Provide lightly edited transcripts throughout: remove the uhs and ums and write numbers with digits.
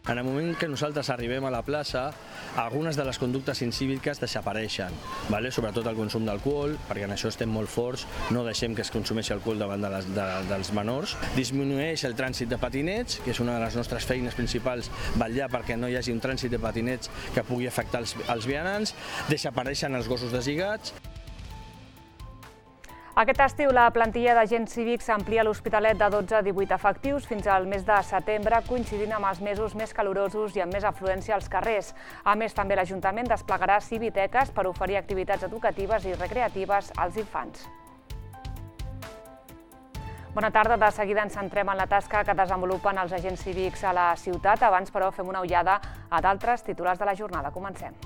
En el moment que nosaltres arribem a la plaça, algunes de les conductes incíviques desapareixen, sobretot el consum d'alcohol, perquè en això estem molt forts, no deixem que es consumeixi alcohol davant dels menors. Disminueix el trànsit de patinets, que és una de les nostres feines principals, vetllar perquè no hi hagi un trànsit de patinets que pugui afectar els vianants, desapareixen els gossos deslligats. Aquest estiu la plantilla d'agents cívics s'amplia a l'Hospitalet de 12 a 18 efectius fins al mes de setembre, coincidint amb els mesos més calorosos i amb més afluència als carrers. A més, també l'Ajuntament desplegarà civiteques per oferir activitats educatives i recreatives als infants. Bona tarda. De seguida ens centrem en la tasca que desenvolupen els agents cívics a la ciutat. Abans, però, fem una ullada a d'altres titulars de la jornada. Comencem.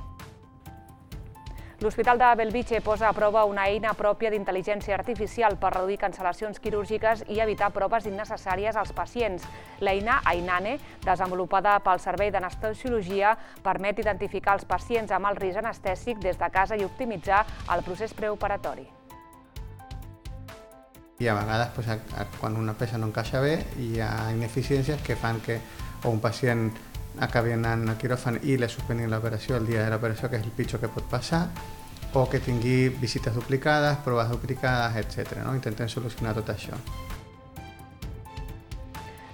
L'Hospital de Bellvitge posa a prova una eina pròpia d'intel·ligència artificial per reduir cancel·lacions quirúrgiques i evitar proves innecessàries als pacients. L'eina Ainane, desenvolupada pel Servei d'Anestesiologia, permet identificar els pacients amb alt risc anestèsic des de casa i optimitzar el procés preoperatori. I a vegades, quan una peça no encaixa bé, hi ha ineficiències que fan que un pacient acabi anant al quiròfan i li suspenguin l'operació el dia de l'operació, que és el pitjor que pot passar, o que tingui visites duplicades, proves duplicades, etc. Intentem solucionar tot això.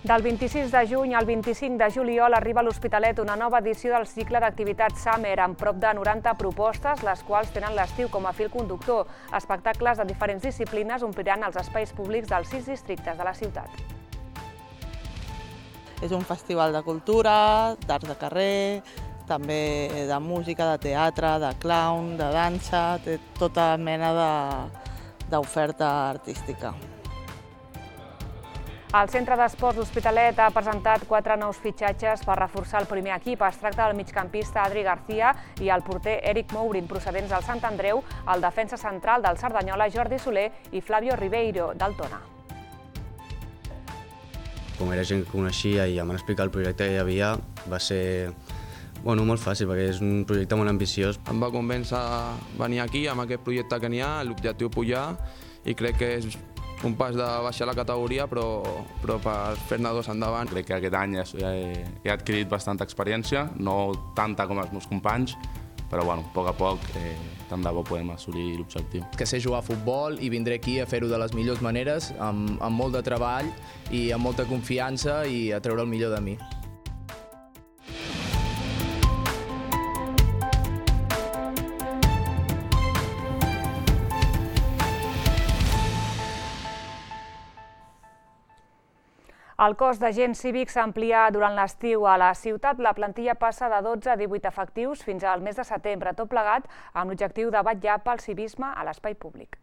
Del 26 de juny al 25 de juliol arriba a l'Hospitalet una nova edició del cicle d'activitats Summer amb prop de 90 propostes, les quals tenen l'estiu com a fil conductor. Espectacles de diferents disciplines ompliran els espais públics dels 6 districtes de la ciutat. És un festival de cultura, d'arts de carrer, també de música, de teatre, de clown, de dansa, té tota mena d'oferta artística. El Centre d'Esports L'Hospitalet ha presentat 4 nous fitxatges per reforçar el primer equip. Es tracta del migcampista Adri García i el porter Eric Mourin, procedents del Sant Andreu, el defensa central del Cerdanyola Jordi Soler i Flavio Ribeiro, del Tona. Com era gent que coneixia i em van explicar el projecte que hi havia, va ser molt fàcil, perquè és un projecte molt ambiciós. Em va convèncer venir aquí amb aquest projecte que n'hi ha, l'objectiu pujar, i crec que és un pas de baixar la categoria, però per fer-ne 2 endavant. Crec que aquest any he adquirit bastanta experiència, no tanta com els meus companys, però a poc a poc tant de bo podem assolir l'objectiu. Que sé jugar a futbol i vindré aquí a fer-ho de les millors maneres, amb molt de treball i amb molta confiança i a treure el millor de mi. El cos d'agents cívics s'amplia durant l'estiu a la ciutat. La plantilla passa de 12 a 18 efectius fins al mes de setembre, tot plegat amb l'objectiu de vetllar pel civisme a l'espai públic.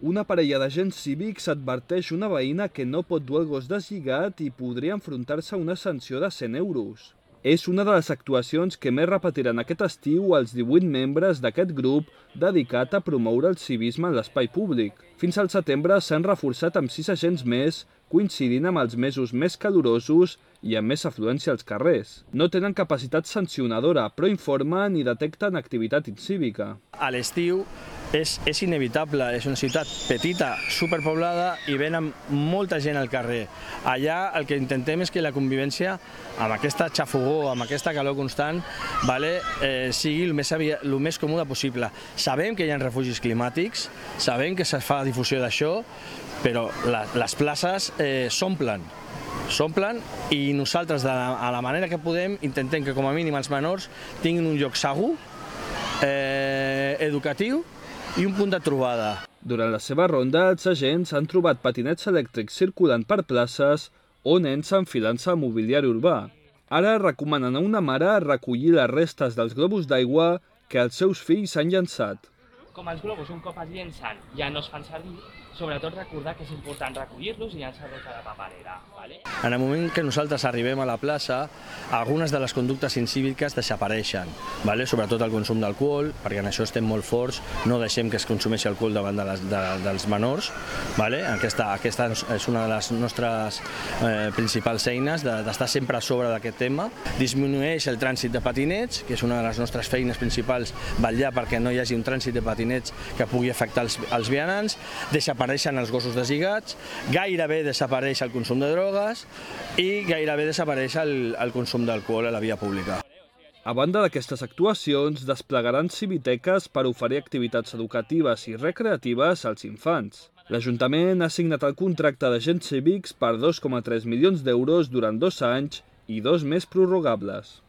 Una parella d'agents cívics adverteix una veïna que no pot dur el gos deslligat i podria enfrontar-se a una sanció de 100 euros. És una de les actuacions que més repetiran aquest estiu els 18 membres d'aquest grup dedicat a promoure el civisme en l'espai públic. Fins al setembre s'han reforçat amb 6 agents més, coincidint amb els mesos més calorosos i amb més afluència als carrers. No tenen capacitat sancionadora, però informen i detecten activitat incívica. A l'estiu és inevitable, és una ciutat petita, superpoblada i venen molta gent al carrer. Allà el que intentem és que la convivència amb aquesta xafogó, amb aquesta calor constant, sigui el més còmode possible. Sabem que hi ha refugis climàtics, sabem que se fa difusió d'això, però les places s'omplen i nosaltres, de la manera que podem, intentem que com a mínim els menors tinguin un lloc segur, educatiu i un punt de trobada. Durant la seva ronda, els agents han trobat patinets elèctrics circulant per places o nens enfilant-se a mobiliari urbà. Ara recomanen a una mare recollir les restes dels globus d'aigua que els seus fills han llançat. Com els globus un cop es llencen ja no es fan servir, sobretot recordar que és important recollir-los i llançar-los a la paperera. En el moment que nosaltres arribem a la plaça, algunes de les conductes incíviques desapareixen, sobretot el consum d'alcohol, perquè en això estem molt forts, no deixem que es consumeixi alcohol davant dels menors. Aquesta és una de les nostres principals eines, d'estar sempre a sobre d'aquest tema. Disminueix el trànsit de patinets, que és una de les nostres feines principals, vetllar perquè no hi hagi un trànsit de patinets que pugui afectar els vianants. Desapareix desapareixen els gossos deslligats, gairebé desapareix el consum de drogues i gairebé desapareix el consum d'alcohol a la via pública. A banda d'aquestes actuacions, desplegaran civiteques per oferir activitats educatives i recreatives als infants. L'Ajuntament ha signat el contracte d'agents cívics per 2,3 milions d'euros durant 2 anys i 2 més prorrogables.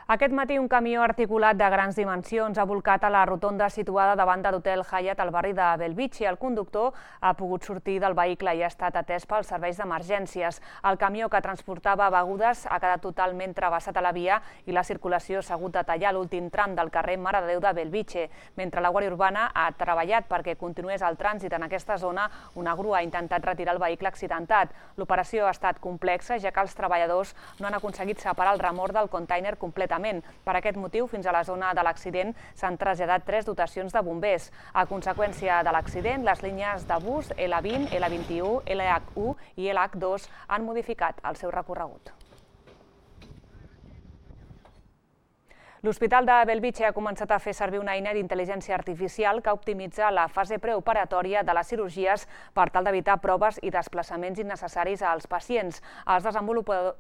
Aquest matí un camió articulat de grans dimensions ha volcat a la rotonda situada davant de l'hotel Hyatt al barri de Bellvitge. El conductor ha pogut sortir del vehicle i ha estat atès pels serveis d'emergències. El camió que transportava begudes ha quedat totalment travessat a la via i la circulació s'ha hagut de tallar l'últim tram del carrer Mare de Déu de Bellvitge. Mentre la Guàrdia Urbana ha treballat perquè continués el trànsit en aquesta zona, una grua ha intentat retirar el vehicle accidentat. L'operació ha estat complexa, ja que els treballadors no han aconseguit separar el remorc del container completament. Per aquest motiu, fins a la zona de l'accident s'han traslladat 3 dotacions de bombers. A conseqüència de l'accident, les línies de bus L20, L21, LH1 i LH2 han modificat el seu recorregut. L'Hospital de Bellvitge ha començat a fer servir una eina d'intel·ligència artificial que optimitza la fase preoperatòria de les cirurgies per tal d'evitar proves i desplaçaments innecessaris als pacients. Els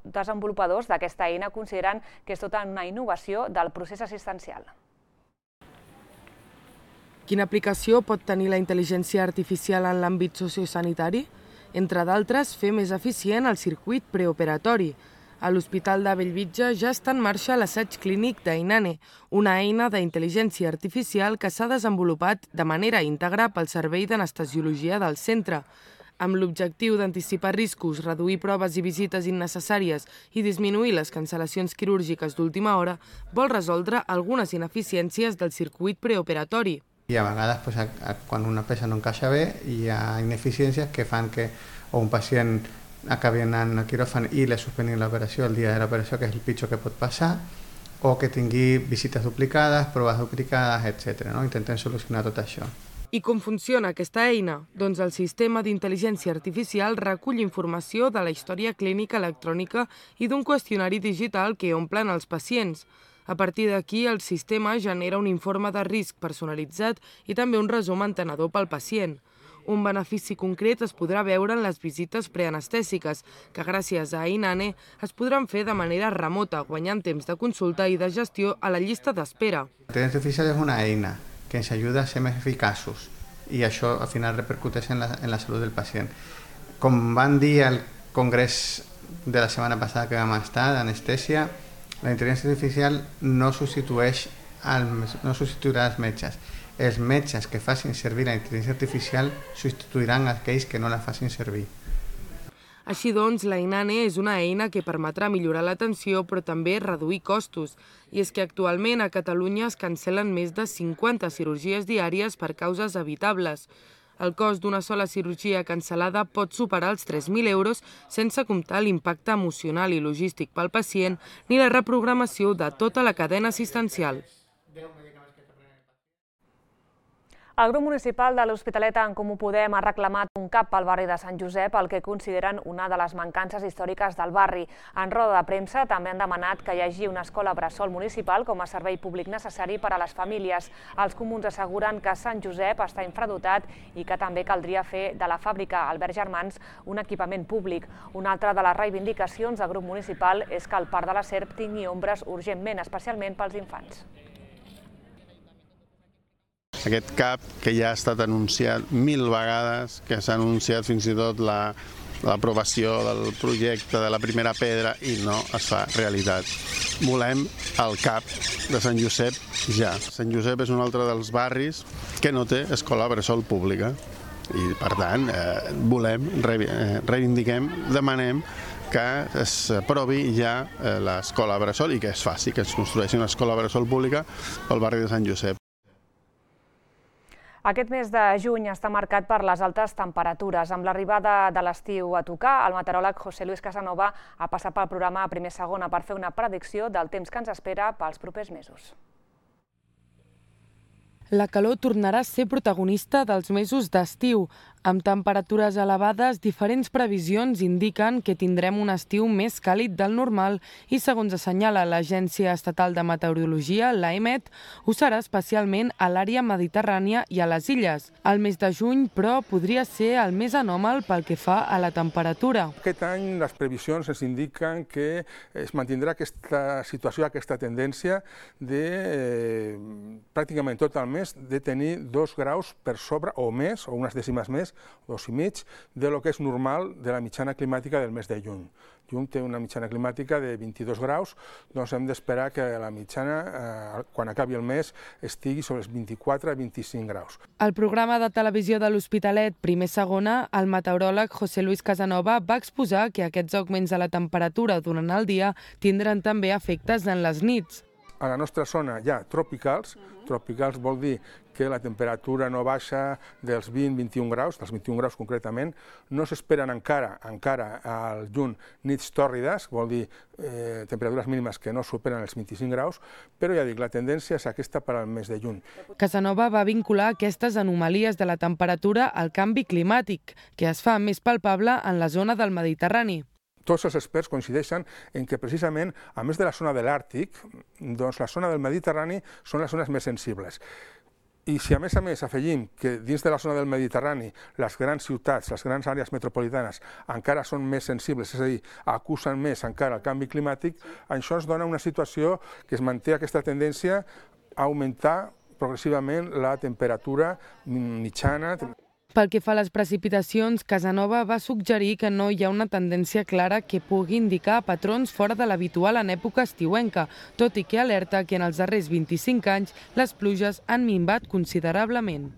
desenvolupadors d'aquesta eina consideren que és tota una innovació del procés assistencial. Quina aplicació pot tenir la intel·ligència artificial en l'àmbit sociosanitari? Entre d'altres, fer més eficient el circuit preoperatori. A l'Hospital de Bellvitge ja està en marxa l'assaig clínic d'Einane, una eina d'intel·ligència artificial que s'ha desenvolupat de manera íntegra pel Servei d'Anestesiologia del centre. Amb l'objectiu d'anticipar riscos, reduir proves i visites innecessàries i disminuir les cancel·lacions quirúrgiques d'última hora, vol resoldre algunes ineficiències del circuit preoperatori. I a vegades, quan una peça no encaixa bé, hi ha ineficiències que fan que un pacient acabi anant al quiròfan i li suspenguin l'operació el dia de l'operació, que és el pitjor que pot passar, o que tingui visites duplicades, proves duplicades, etc. Intentem solucionar tot això. I com funciona aquesta eina? Doncs el sistema d'intel·ligència artificial recull informació de la història clínica electrònica i d'un qüestionari digital que omplen els pacients. A partir d'aquí, el sistema genera un informe de risc personalitzat i també un resum entenedor pel pacient. Un benefici concret es podrà veure en les visites preanestèsiques, que gràcies a Einane es podran fer de manera remota, guanyant temps de consulta i de gestió a la llista d'espera. La intel·ligència artificial és una eina que ens ajuda a ser més eficaços i això al final repercuteix en la salut del pacient. Com van dir al congrés de la setmana passada que vam estar d'anestèsia, la intel·ligència artificial no substituirà els metges. Els metges que facin servir la intel·ligència artificial substituiran aquells que no la facin servir. Així doncs, l'Einane és una eina que permetrà millorar l'atenció però també reduir costos. I és que actualment a Catalunya es cancel·len més de 50 cirurgies diàries per causes evitables. El cost d'una sola cirurgia cancel·lada pot superar els 3.000 euros sense comptar l'impacte emocional i logístic pel pacient ni la reprogramació de tota la cadena assistencial. El grup municipal de l'Hospitalet en Comú Podem ha reclamat un CAP al barri de Sant Josep, el que consideren una de les mancances històriques del barri. En roda de premsa també han demanat que hi hagi una escola bressol municipal com a servei públic necessari per a les famílies. Els comuns asseguren que Sant Josep està infradotat i que també caldria fer de la fàbrica Albert Germans un equipament públic. Una altra de les reivindicacions del grup municipal és que el Parc de la Serp tingui ombres urgentment, especialment pels infants. Aquest CAP que ja ha estat anunciat 1000 vegades, que s'ha anunciat fins i tot l'aprovació del projecte de la primera pedra i no es fa realitat. Volem el CAP de Sant Josep ja. Sant Josep és un altre dels barris que no té escola bressol pública i per tant reivindiquem, demanem que s'aprovi ja l'escola bressol i que es faci, que es construeixi una escola bressol pública pel barri de Sant Josep. Aquest mes de juny està marcat per les altes temperatures. Amb l'arribada de l'estiu a tocar, el meteoròleg José Luis Casanova ha passat pel programa Primer Segona per fer una predicció del temps que ens espera pels propers mesos. La calor tornarà a ser protagonista dels mesos d'estiu. Amb temperatures elevades, diferents previsions indiquen que tindrem un estiu més càlid del normal i, segons assenyala l'Agència Estatal de Meteorologia, l'AEMET, ho serà especialment a l'àrea mediterrània i a les illes. El mes de juny, però, podria ser el més anòmal pel que fa a la temperatura. Aquest any les previsions ens indiquen que es mantindrà aquesta situació, aquesta tendència de pràcticament tot el mes de tenir 2 graus per sobre o més, o unes dècimes més, 2,5, de lo que és normal de la mitjana climàtica del mes de juny. Juny té una mitjana climàtica de 22 graus, doncs hem d'esperar que la mitjana, quan acabi el mes, estigui sobre els 24 a 25 graus. Al programa de televisió de l'Hospitalet Primer-Segona, el meteoròleg José Luis Casanova va exposar que aquests augments de la temperatura durant el dia tindran també efectes en les nits. A la nostra zona hi ha tropicals. Tropicals vol dir que la temperatura no baixa dels 20-21 graus, dels 21 graus concretament. No s'esperen encara al juny nits tòrrides, vol dir temperatures mínimes que no superen els 25 graus, però ja dic, la tendència és aquesta per al mes de juny. Casanova va vincular aquestes anomalies de la temperatura al canvi climàtic, que es fa més palpable en la zona del Mediterrani. Tots els experts coincideixen en que precisament, a més de la zona de l'Àrtic, doncs la zona del Mediterrani són les zones més sensibles. I si a més afegim que dins de la zona del Mediterrani les grans ciutats, les grans àrees metropolitanes encara són més sensibles, és a dir, acusen més encara el canvi climàtic, això ens dona una situació que es manté aquesta tendència a augmentar progressivament la temperatura mitjana. Pel que fa a les precipitacions, Casanova va suggerir que no hi ha una tendència clara que pugui indicar patrons fora de l'habitual en època estiuenca, tot i que alerta que en els darrers 25 anys les pluges han minvat considerablement.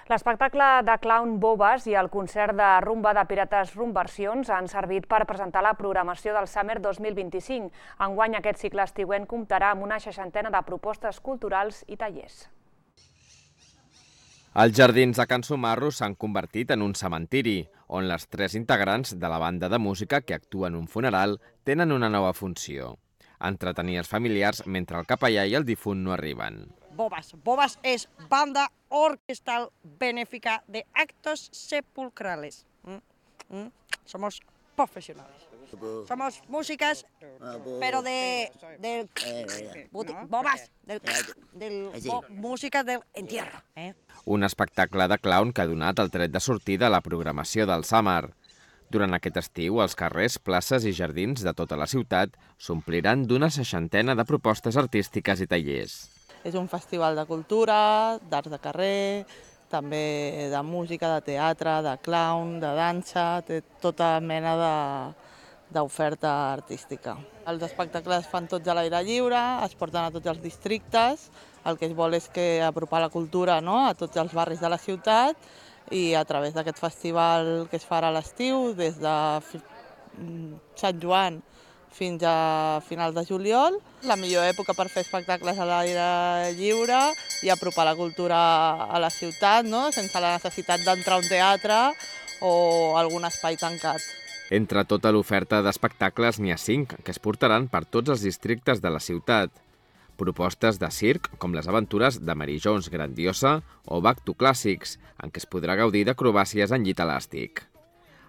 L'espectacle de clown Bobes i el concert de rumba de Pirates Rumversions han servit per presentar la programació del Summer 2025. Enguany aquest cicle estiuent comptarà amb una 60ena de propostes culturals i tallers. Els jardins de Can Sumarro s'han convertit en un cementiri, on les 3 integrants de la banda de música que actuen en un funeral tenen una nova funció: entretenir els familiars mentre el capellà i el difunt no arriben. Bobas. Bobas es banda orquestal benéfica de actos sepulcrales. Somos profesionales. Somos músicas, pero Bobas, música del entierro. Un espectacle de clown que ha donat el tret de sortida a la programació del Summer. Durant aquest estiu, els carrers, places i jardins de tota la ciutat s'ompliran d'una 60ena de propostes artístiques i tallers. És un festival de cultura, d'arts de carrer, també de música, de teatre, de clown, de dansa, té tota mena d'oferta artística. Els espectacles es fan tots a l'aire lliure, es porten a tots els districtes, el que es vol és que apropar la cultura a tots els barris de la ciutat i a través d'aquest festival que es farà a l'estiu, des de Sant Joan fins a finals de juliol. La millor època per fer espectacles a l'aire lliure i apropar la cultura a la ciutat, sense la necessitat d'entrar a un teatre o algun espai tancat. Entre tota l'oferta d'espectacles n'hi ha 5 que es portaran per tots els districtes de la ciutat. Propostes de circ, com les aventures de Mary Jones Grandiosa o Back to Classics, en què es podrà gaudir d'acrobàcies en llit elàstic.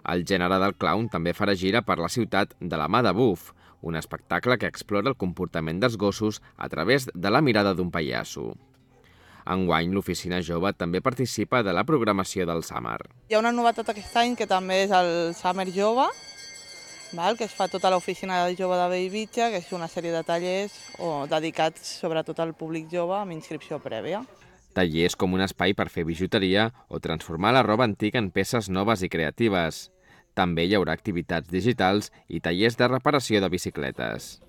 El gènere del clown també farà gira per la ciutat de la mà de Buff, un espectacle que explora el comportament dels gossos a través de la mirada d'un pallasso. Enguany, l'Oficina Jove també participa de la programació del Summer. Hi ha una novetat aquest any que també és el Summer Jove, que es fa tota l'Oficina Jove de Bellvitge, que és una sèrie de tallers dedicats sobretot al públic jove amb inscripció prèvia. Tallers com un espai per fer bijuteria o transformar la roba antiga en peces noves i creatives. També hi haurà activitats digitals i tallers de reparació de bicicletes.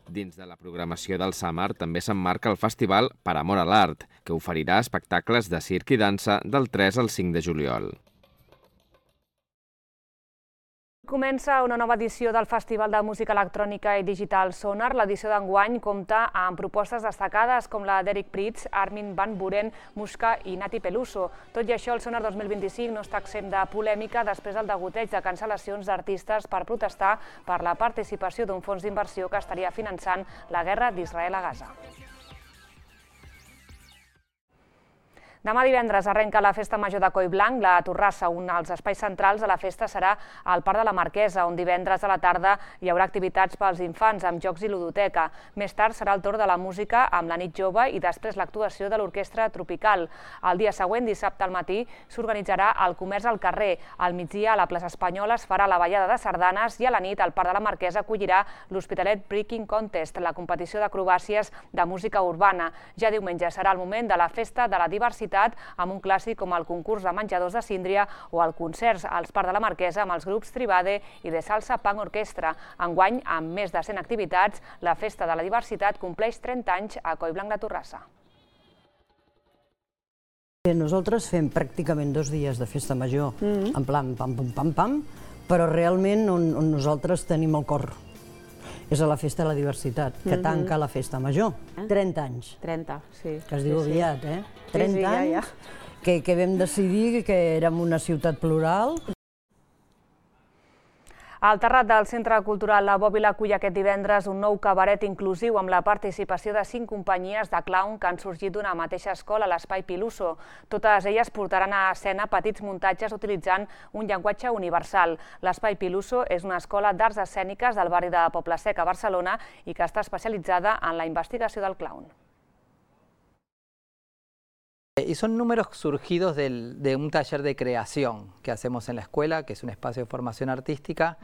Dins de la programació del Summer també s'emmarca el festival Per Amor a l'Art, que oferirà espectacles de circ i dansa del 3 al 5 de juliol. Comença una nova edició del Festival de Música Electrònica i Digital Sonar. L'edició d'enguany compta amb propostes destacades com la d'Eric Prydz, Armin van Buuren, Mushka i Nati Peluso. Tot i això, el Sonar 2025 no està exempt de polèmica després del degoteig de cancel·lacions d'artistes per protestar per la participació d'un fons d'inversió que estaria finançant la guerra d'Israel a Gaza. Demà divendres arrenca la Festa Major de Collblanc. La Torrassa, un dels espais centrals de la festa, serà al Parc de la Marquesa, on divendres a la tarda hi haurà activitats pels infants amb jocs i ludoteca. Més tard serà el torn de la música amb la nit jove i després l'actuació de l'Orquestra Tropical. El dia següent, dissabte al matí, s'organitzarà el comerç al carrer. Al migdia, a la plaça Espanyola, es farà la ballada de sardanes i a la nit, al Parc de la Marquesa, acollirà l'Hospitalet Breaking Contest, la competició d'acrobàcies de música urbana. Ja diumenge serà el moment de la Festa de la Diversitat, amb un clàssic com el concurs de menjadors de Síndria o el concerts als Parc de la Marquesa amb els grups Tribade i de Salsa Punk Orquestra. Enguany, amb més de 100 activitats, la Festa de la Diversitat compleix 30 anys a Collblanc de Torrassa. Nosaltres fem pràcticament 2 dies de festa major, en plan pam, pam, pam, pam, però realment on nosaltres tenim el cor és a la Festa de la Diversitat, que tanca la Festa Major. 30 anys. 30, sí. Que es diu aviat, eh? 30 anys que vam decidir que érem una ciutat plural. Al terrat del Centre Cultural La Bòbila acull aquest divendres un nou cabaret inclusiu amb la participació de 5 companyies de clown que han sorgit d'una mateixa escola, l'Espai Piluso. Totes elles portaran a escena petits muntatges utilitzant un llenguatge universal. L'Espai Piluso és una escola d'arts escèniques del barri de Poble Sec a Barcelona i que està especialitzada en la investigació del clown. Y son números surgidos de un taller de creación que hacemos en la escuela, que es un espacio de formación artística,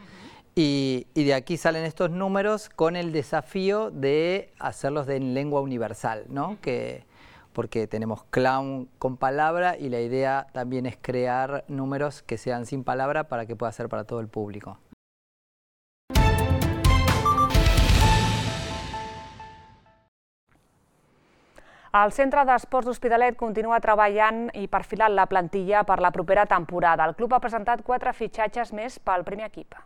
y de aquí salen estos números con el desafío de hacerlos en lengua universal, ¿no? Porque tenemos clown con palabra y la idea también es crear números que sean sin palabra para que pueda ser para todo el público. El Centre d'Esports d'Hospitalet continua treballant i perfilant la plantilla per la propera temporada. El club ha presentat 4 fitxatges més pel primer equip.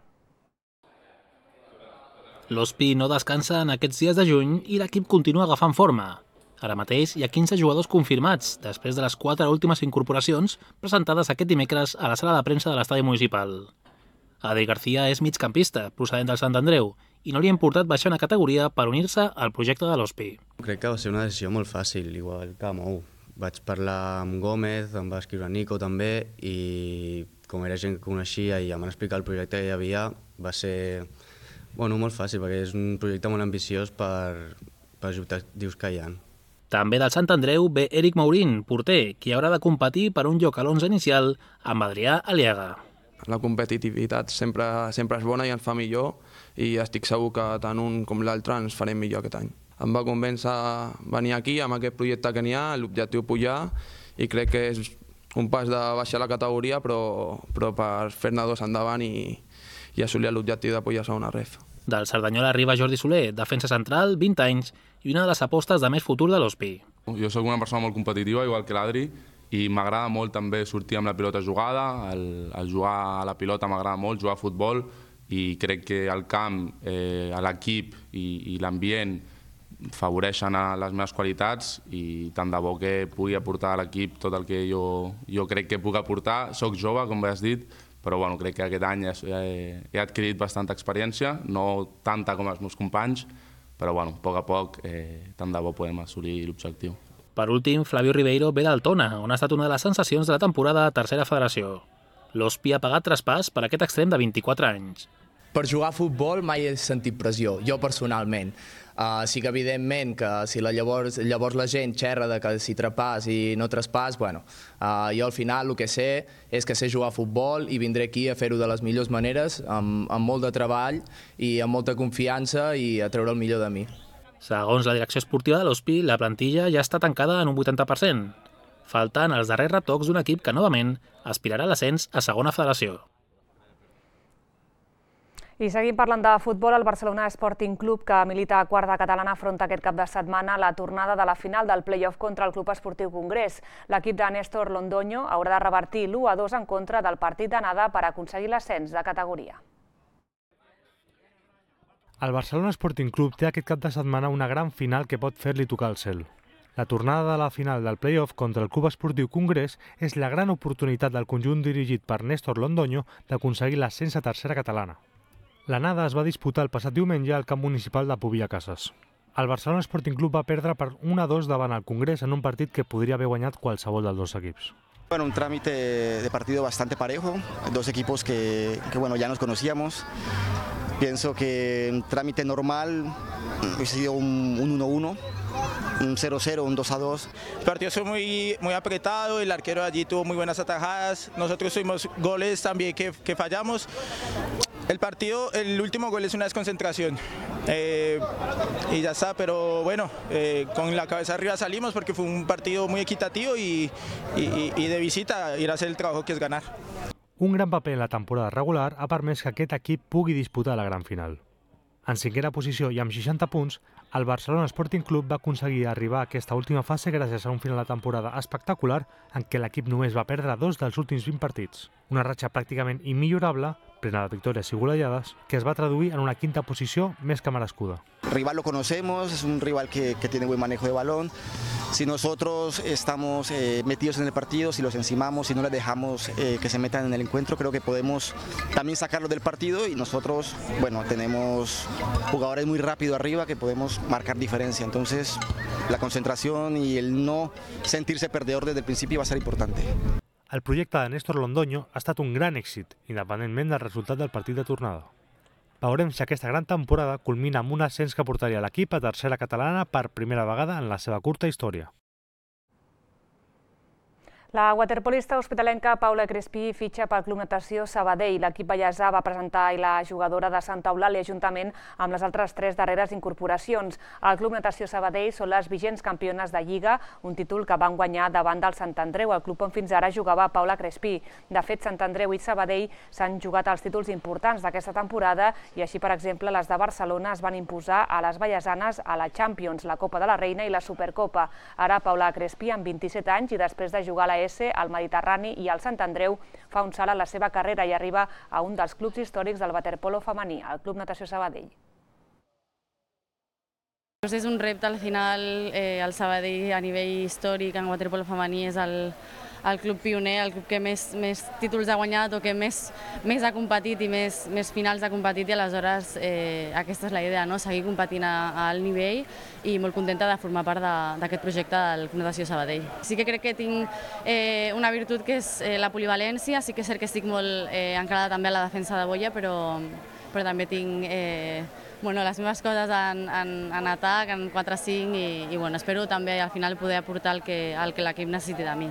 L'Hospi no descansa en aquests dies de juny i l'equip continua agafant forma. Ara mateix hi ha 15 jugadors confirmats, després de les 4 últimes incorporacions presentades aquest dimecres a la sala de premsa de l'estadi municipal. Adri García és migcampista, procedent del Sant Andreu, i no li ha importat baixar una categoria per unir-se al projecte de l'Hospi. Crec que va ser una decisió molt fàcil, igual que Mou. Vaig parlar amb Gómez, em va escriure Nico també, i com era gent que coneixia i em van explicar el projecte que hi havia, va ser molt fàcil, perquè és un projecte molt ambiciós per els objectius que hi ha. També del Sant Andreu ve Eric Maurín, porter, qui haurà de competir per un lloc a l'11 inicial amb Adrià Aliaga. La competitivitat sempre és bona i ens fa millor i estic segur que tant un com l'altre ens farem millor aquest any. Em va convèncer venir aquí amb aquest projecte que n'hi ha, l'objectiu pujar, i crec que és un pas de baixar la categoria però per fer-ne 2 endavant i assolir l'objectiu de pujar a segona ref. Del Cerdanyola arriba Jordi Soler, defensa central, 20 anys, i una de les apostes de més futur de l'Hospi. Jo sóc una persona molt competitiva, igual que l'Adri, i m'agrada molt també sortir amb la pilota jugada, el jugar a la pilota m'agrada molt, jugar a futbol, i crec que el camp, l'equip i l'ambient favoreixen les meves qualitats i tant de bo que pugui aportar a l'equip tot el que jo crec que puc aportar. Soc jove, com has dit, però crec que aquest any he adquirit bastanta experiència, no tanta com els meus companys, però a poc tant de bo podem assolir l'objectiu. Per últim, Flavio Ribeiro ve del Tona, on ha estat una de les sensacions de la temporada a Tercera Federació. L'Hospi ha pagat traspàs per aquest extrem de 24 anys. Per jugar a futbol mai he sentit pressió, jo personalment. Sí que evidentment que si llavors la gent xerra de que si traspàs i no traspàs, jo al final el que sé és que sé jugar a futbol i vindré aquí a fer-ho de les millors maneres, amb molt de treball i amb molta confiança i a treure el millor de mi. Segons la direcció esportiva de l'Hospi, la plantilla ja està tancada en un 80%. Falten els darrers retocs d'un equip que novament aspirarà a l'ascens a segona federació. I seguim parlant de futbol, el Barcelona Sporting Club, que milita a quarta catalana, afronta aquest cap de setmana la tornada de la final del play-off contra el Club Esportiu Congrés. L'equip de Néstor Londoño haurà de revertir l'1-2 en contra del partit d'anada per aconseguir l'ascens de categoria. El Barcelona Sporting Club té aquest cap de setmana una gran final que pot fer-li tocar el cel. La tornada de la final del play-off contra el Club Esportiu Congrés és la gran oportunitat del conjunt dirigit per Néstor Londoño d'aconseguir l'ascens a tercera catalana. L'anada es va disputar el passat diumenge al camp municipal de Pubill a Cases. El Barcelona Sporting Club va perdre per 1-2 davant el Congrés en un partit que podria haver guanyat qualsevol dels dos equips. Bueno, un trámite de partido bastante parejo, dos equipos que ya nos conocíamos. Pienso que un trámite normal hubiese sido un 1-1, un 0-0, un 2-2. El partido fue muy apretado, el arquero allí tuvo muy buenas atajadas, nosotros tuvimos goles también que fallamos. El último gol es una desconcentración y ya está, pero bueno, con la cabeza arriba salimos porque fue un partido muy equitativo y de visita ir a hacer el trabajo que es ganar. Un gran paper en la temporada regular ha permès que aquest equip pugui disputar la gran final. En cinquena posició i amb 60 punts, el Barcelona Sporting Club va aconseguir arribar a aquesta última fase gràcies a un final de temporada espectacular en què l'equip només va perdre 2 dels últims 20 partits. Una ratxa pràcticament immillorable, plena de victòries i golejades, que es va traduir en una quinta posició més que merescuda. El rival lo conocemos, es un rival que tiene buen manejo de balón. Si nosotros estamos metidos en el partido, si los encimamos, si no les dejamos que se metan en el encuentro, creo que podemos también sacarlos del partido y nosotros, bueno, tenemos jugadores muy rápidos arriba que podemos marcar diferencia. Entonces, la concentración y el no sentirse perdedor desde el principio va a ser importante. El projecte de Néstor Londoño ha estat un gran èxit, independentment del resultat del partit de tornada. Veurem si aquesta gran temporada culmina amb un ascens que portaria l'equip a tercera catalana per primera vegada en la seva curta història. La waterpolista hospitalenca Paula Crespí fitxa pel Club Natació Sabadell. L'equip ballesà va presentar la jugadora de Santa Eulàlia juntament amb les altres 3 darreres incorporacions. El Club Natació Sabadell són les vigents campiones de Lliga, un títol que van guanyar davant del Sant Andreu, el club on fins ara jugava Paula Crespí. De fet, Sant Andreu i Sabadell s'han jugat els títols importants d'aquesta temporada i així, per exemple, les de Barcelona es van imposar a les ballesanes a la Champions, la Copa de la Reina i la Supercopa. Ara Paula Crespí, amb 27 anys i després de jugar a la al Mediterrani i al Sant Andreu, fa un salt a la seva carrera i arriba a un dels clubs històrics del waterpolo femení, el Club Natació Sabadell. És un repte, al final, el Sabadell a nivell històric en waterpolo femení és el club pioner, el club que més títols ha guanyat o que més ha competit i més finals ha competit i aleshores aquesta és la idea, seguir competint a alt nivell i molt contenta de formar part d'aquest projecte del Club Natació Sabadell. Sí que crec que tinc una virtut que és la polivalència, sí que és cert que estic molt encarada també a la defensa de boia, però també tinc les meves coses en atac, en 4-5 i espero també al final poder aportar el que l'equip necessiti de mi.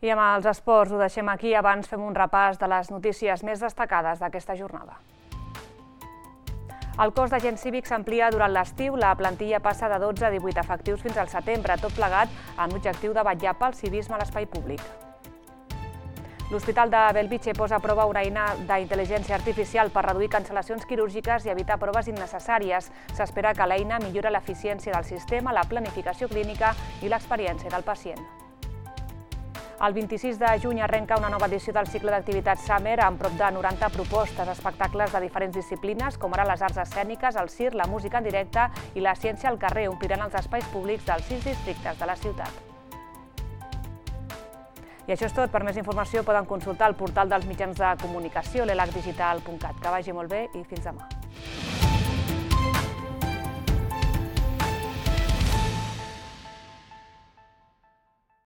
I amb els esports ho deixem aquí, abans fem un repàs de les notícies més destacades d'aquesta jornada. El cos d'agents cívics s'amplia durant l'estiu, la plantilla passa de 12 a 18 efectius fins al setembre, tot plegat amb l'objectiu de vetllar pel civisme a l'espai públic. L'Hospital de Bellvitge posa a prova una eina d'intel·ligència artificial per reduir cancel·lacions quirúrgiques i evitar proves innecessàries. S'espera que l'eina millora l'eficiència del sistema, la planificació clínica i l'experiència del pacient. El 26 de juny arrenca una nova edició del cicle d'activitats Summer amb prop de 90 propostes, espectacles de diferents disciplines, com ara les arts escèniques, el circ, la música en directe i la ciència al carrer, ompliran els espais públics dels 6 districtes de la ciutat. I això és tot. Per més informació poden consultar el portal dels mitjans de comunicació, l'elacdigital.cat. Que vagi molt bé i fins demà.